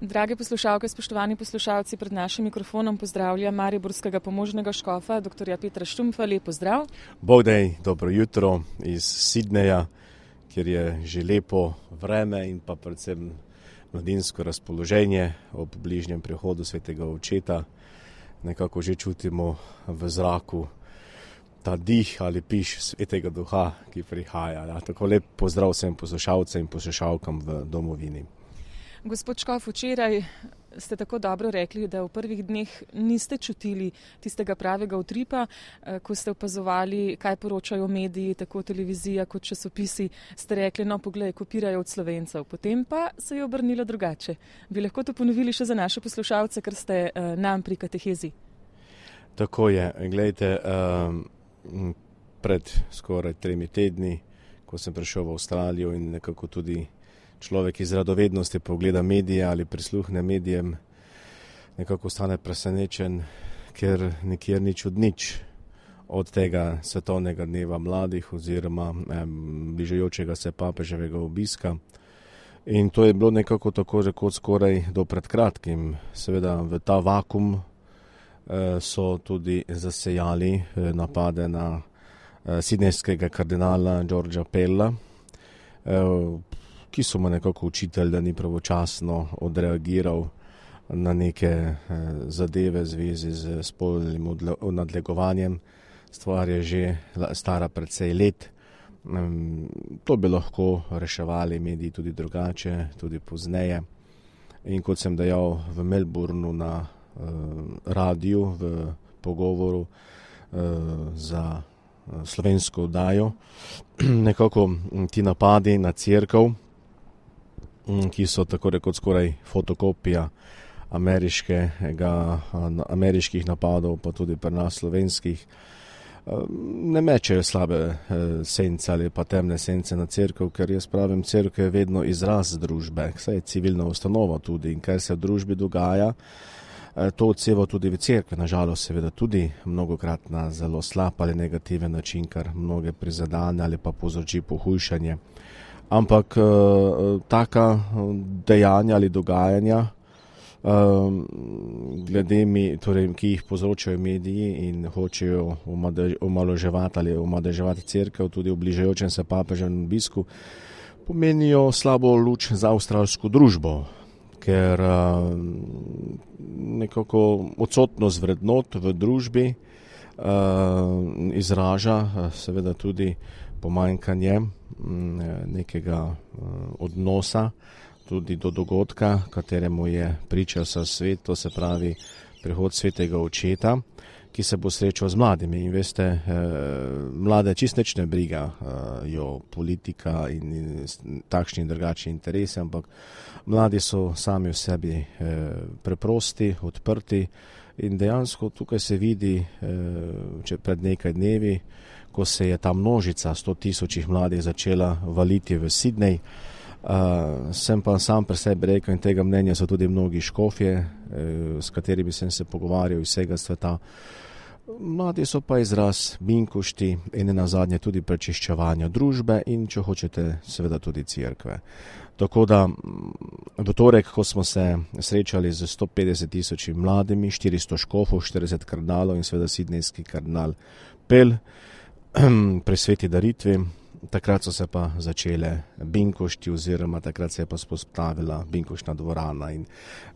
Drage poslušalke, spoštovani poslušalci, pred našim mikrofonom pozdravljam mariborskega pomožnega škofa, dr. Petra Štumpfa. Lep pozdrav. Bogdej, dobro jutro iz Sydneyja, kjer je že lepo vreme in pa predvsem mladinsko razpoloženje ob bližnjem prihodu svetega očeta. Nekako že čutimo v zraku ta dih ali piš svetega duha, ki prihaja. Ja, tako lep pozdrav vsem poslušalcem in poslušalkam v domovini. Gospod Škof, včeraj ste tako dobro rekli, da v prvih dneh niste čutili tistega pravega utripa, ko ste opazovali, kaj poročajo mediji, tako televizija kot časopisi, ste rekli, no poglej, kopirajo od Slovencev. Potem pa se je obrnilo drugače. Bi lahko to ponovili še za naše poslušalce, ker ste nam pri katehezi? Tako je. Glejte, pred skoraj 3 tedni, ko sem prišel v Avstralijo in nekako tudi človek iz radovednosti pogleda medije ali prisluhne medijem, nekako stane presenečen, ker nikjer nič od nič od tega svetovnega dneva mladih oziroma bližajočega se papeževega obiska. In to je bilo nekako tako rekoč skoraj do pred kratkim. Seveda v ta vakum so tudi zasejali napade na sidnejskega kardinala Georgea Pella, ki so mu nekako učitelj, da ni pravočasno odreagiral na neke zadeve v zvezi z spolnim nadlegovanjem. Stvar je že stara precej let. To bi lahko reševali mediji tudi drugače, tudi pozneje. In kot sem dejal v Melbourneu na radiju v pogovoru za slovensko oddajo, nekako ti napadi na cerkev, ki so tako rekoč skoraj fotokopija ameriških napadov, pa tudi pri nas slovenskih, ne mečejo slabe sence ali pa temne sence na cerkev, ker jaz pravim, cerkev je vedno izraz družbe, saj je civilna ustanova tudi in kar se v družbi dogaja, to odseva tudi v cerkvi, nažalost seveda tudi mnogokrat na zelo slab ali negativen način, kar mnoge prizadane ali pa povzroči pohujšanje. Ampak taka dejanja ali dogajanja, torej, ki jih povzročajo mediji in hočejo omalovaževati ali omadeževati cerkev tudi v bližajočem se papeževem obisku, pomenijo slabo luč za avstralsko družbo, ker nekako odsotnost vrednot v družbi izraža seveda tudi pomanjkanje nekega odnosa tudi do dogodka, kateremu je pričal sa svet, to se pravi prihod svetega očeta, ki se bo srečal z mladimi. In veste, mlade čist nič ne brigajo politika in takšni in drugačni interesi, ampak mladi so sami v sebi preprosti, odprti in dejansko tukaj se vidi, pred nekaj dnevi, ko se je ta množica 100 000 mladih začela valiti v Sydney. Sem pa sam pri sebi rekel in tega mnenja so tudi mnogi škofje, s katerimi sem se pogovarjal iz vsega sveta. Mladi so pa izraz binkošti in nazadnje tudi prečiščevanja družbe in, če hočete, seveda tudi cerkve. Tako da v torek, ko smo se srečali z 150 000 mladimi, 400 škofov, 40 kardinalov in seveda sidnejski kardinal Pell pri sveti daritvi, takrat so se pa začele binkošti oziroma takrat se je pa spostavila binkoštna dvorana. In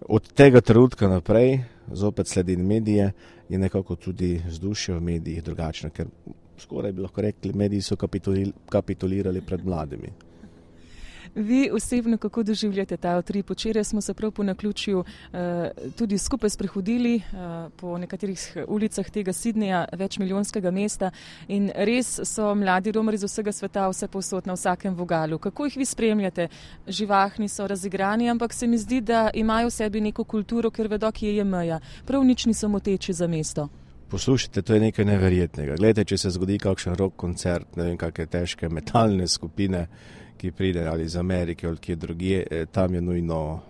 od tega trenutka naprej, zopet sledim medije, je nekako tudi vzdušje v medijih drugačno, ker skoraj bi lahko rekli, mediji so kapitulirali pred mladimi. Vi osebno kako doživljate ta utrip? Včeraj smo se prav po naključju tudi skupaj sprehodili po nekaterih ulicah tega Sydneyja, večmilijonskega mesta in res so mladi romari iz vsega sveta vse povsod na vsakem vogalu. Kako jih vi spremljate? Živahni so, razigrani, ampak se mi zdi, da imajo v sebi neko kulturo, ker vedo, kje je meja. Prav nič niso moteči za mesto. Poslušajte, to je nekaj neverjetnega. Glejte, če se zgodi kakšen rock koncert, ne vem, kakšne težke metalne skupine, ki pride ali iz Amerike ali kje drugje, tam je nujno,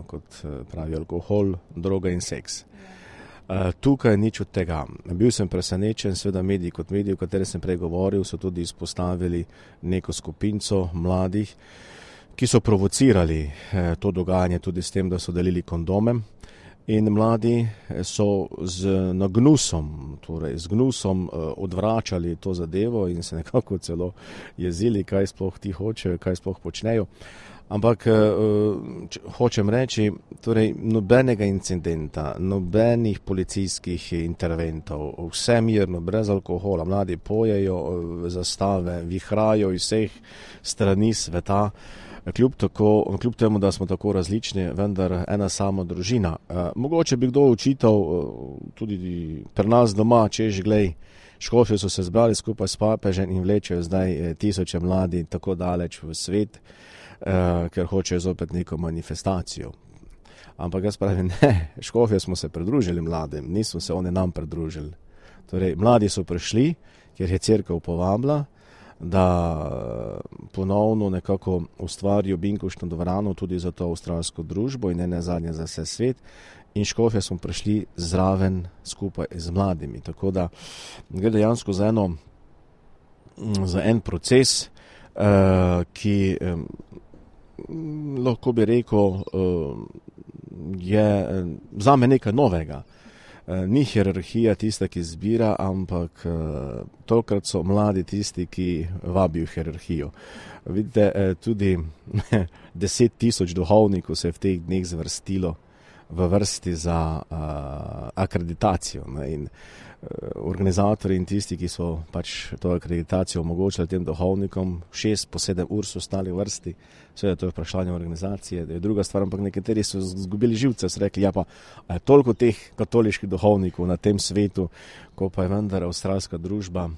kot pravi, alkohol, droga in seks. Tukaj nič od tega. Bil sem presenečen, seveda mediji kot mediji, o kateri sem prej govoril, so tudi izpostavili neko skupinco mladih, ki so provocirali to dogajanje tudi s tem, da so delili kondome. In mladi so z gnusom odvračali to zadevo in se nekako celo jezili, kaj sploh ti hočejo, kaj sploh počnejo. Ampak hočem reči, torej nobenega incidenta, nobenih policijskih interventov, vse mirno, brez alkohola, mladi pojejo zastave, vihrajo iz vseh strani sveta. Kljub temu, da smo tako različni, vendar ena sama družina. Mogoče bi kdo očital tudi pri nas doma, češ glej, škofi so se zbrali skupaj s papežem in vlečejo zdaj tisoče mladi tako daleč v svet, ker hočejo zopet neko manifestacijo. Ampak jaz pravim, ne, škofje smo se pridružili mladim, nismo se oni nam pridružili. Torej, mladi so prišli, ker je cerkev povabila, da ponovno nekako ustvarijo binkoštno dvorano tudi za to avstralsko družbo in ne nazadnje za vse svet. In škofje smo prišli zraven skupaj z mladimi. Tako da gre dejansko za en proces, ki lahko bi rekel, je zame nekaj novega. Ni hierarhija tista, ki zbira, ampak tokrat so mladi tisti, ki vabijo hierarhijo. Vidite, tudi 10,000 duhovnikov se je v teh dneh zvrstilo v vrsti za akreditacijo. In organizatorji in tisti, ki so pač to akreditacijo omogočili tem duhovnikom, 6 po 7 ur so stali v vrsti. Seveda to je vprašanje organizacije, da je druga stvar, ampak nekateri so zgubili živce, so rekli, ja pa, a je toliko teh katoliških duhovnikov na tem svetu, ko pa je vendar avstralska družba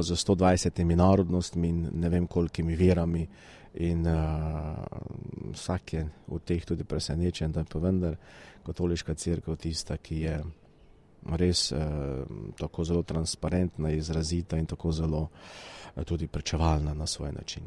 z 120 narodnostmi in ne vem kolikimi verami in vsak je v teh tudi presenečen, da je pa vendar katoliška cerkev tista, ki je res tako zelo transparentna, izrazita in tako zelo tudi pričevalna na svoj način.